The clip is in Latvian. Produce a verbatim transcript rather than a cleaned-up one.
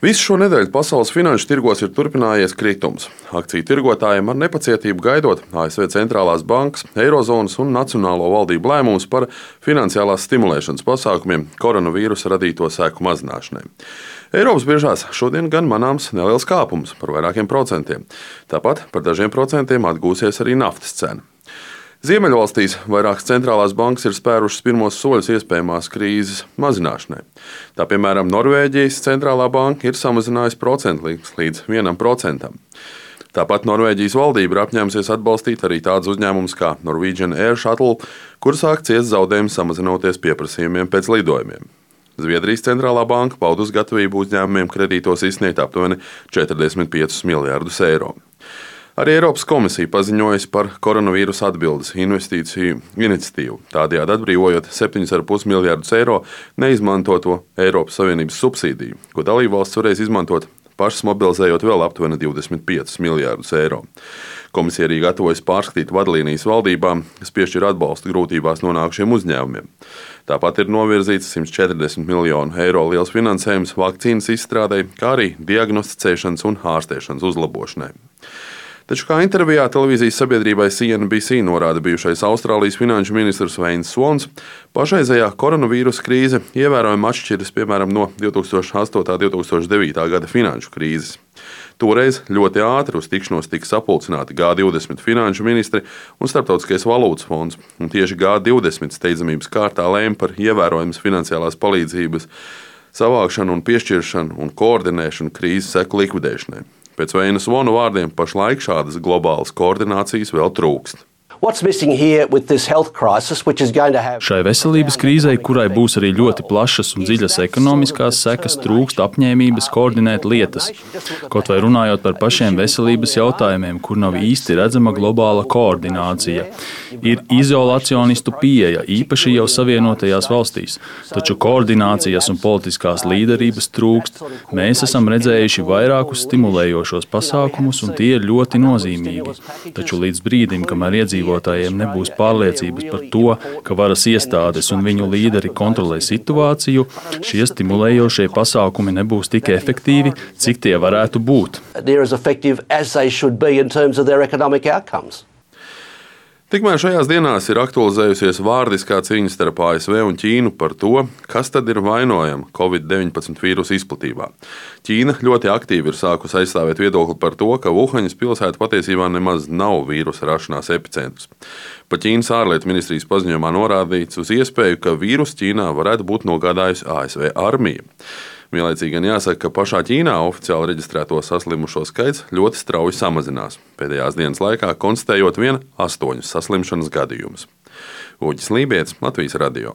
Visu šo nedēļu pasaules finanšu tirgos ir turpinājies kritums. Akciju tirgotājiem ar nepacietību gaidot A S V centrālās bankas, Eirozonas un nacionālo valdību lēmumus par finansiālās stimulēšanas pasākumiem koronavīrusa radīto seku mazināšanai. Eiropas biržās šodien gan manāms neliels kāpums par vairākiem procentiem. Tāpat par dažiem procentiem atgūsies arī naftas cena. Ziemeļvalstīs vairākas centrālās bankas ir spērušas pirmos soļus iespējamās krīzes mazināšanai. Tā piemēram, Norvēģijas centrālā banka ir samazinājusi procentu likmes līdz vienam procentam. Tāpat Norvēģijas valdība ir apņēmusies atbalstīt arī tādus uzņēmumus kā Norwegian Air Shuttle, kur sāk ciest zaudējumi samazinoties pieprasījumiem pēc lidojumiem. Zviedrijas centrālā banka paudus gatavību uzņēmumiem kredītos izsniegt aptuveni četrdesmit piecus miljardus eiro. Arī Eiropas komisija paziņojusi par koronavīrusa atbildes investīciju iniciatīvu, tādējādi atbrīvojot septiņus ar pus miljardus eiro neizmantoto Eiropas Savienības subsīdiju, ko dalībvalsts varēs izmantot pašas mobilizējot vēl aptuveni divdesmit piecus miljardus eiro. Komisija arī gatavojas pārskatīt vadlīnijas valdībām, kas piešķir atbalstu grūtībās nonākušiem uzņēmumiem. Tāpat ir novirzīts simt četrdesmit miljonu eiro liels finansējums vakcīnas izstrādei, kā arī diagnosticēšanas un ārstēšanas uzlabošanai. Taču, kā intervijā televīzijas sabiedrībai C N B C norāda bijušais Austrālijas finanšu ministrs Veins Svons, pašreizējā koronavīrusa krīze ievērojami atšķiras piemēram no divi tūkstoši astotā un divi tūkstoši devītā gada finanšu krīzes. Toreiz ļoti ātri uz tikšanos tika sapulcināti G divdesmit finanšu ministri un Starptautiskais valūtas fonds, un tieši G divdesmit steidzamības kārtā lēma par ievērojamas finansiālās palīdzības savākšanu un piešķiršanu un koordinēšanu krīzes seku likvidēšanai. Pēc Veina Svona vārdiem pašlaik šādas globālas koordinācijas vēl trūkst. Šai veselības krīzei, kurai būs arī ļoti plašas un dziļas ekonomiskās sekas, trūkst apņēmības koordinēt lietas. Kaut vai runājot par pašiem veselības jautājumiem, kur nav īsti redzama globāla koordinācija. Ir izolacionistu pieeja, īpaši jau Savienotajās valstīs, taču koordinācijas un politiskās līderības trūkst. Mēs esam redzējuši vairākus stimulējošos pasākumus, un tie ir ļoti nozīmīgi. Taču līdz brīdim, kamēr iedzīvotājiem nebūs pārliecības par to, ka varas iestādes un viņu līderi kontrolē situāciju, šie stimulējošie pasākumi nebūs tik efektīvi, cik tie varētu būt. Tikmēr šajās dienās ir aktualizējusies vārdiskā cīņa starp A S V un Ķīnu par to, kas tad ir vainojama Covid deviņpadsmit vīrusa izplatībā. Ķīna ļoti aktīvi ir sākusi aizstāvēt viedokli par to, ka Vuhaņas pilsēta patiesībā nemaz nav vīrusa rašanās epicentrs. Pa Ķīnas ārlietu ministrijas paziņojumā norādīts uz iespēju, ka vīrusu Ķīnā varētu būt nogādājusi A S V armija. Vienlaicīgi gan jāsaka, ka pašā Ķīnā oficiāli reģistrēto saslimušo skaits ļoti strauji samazinās, pēdējās dienas laikā konstatējot vien astoņus saslimšanas gadījumus. Uģis Lībietis, Latvijas radio.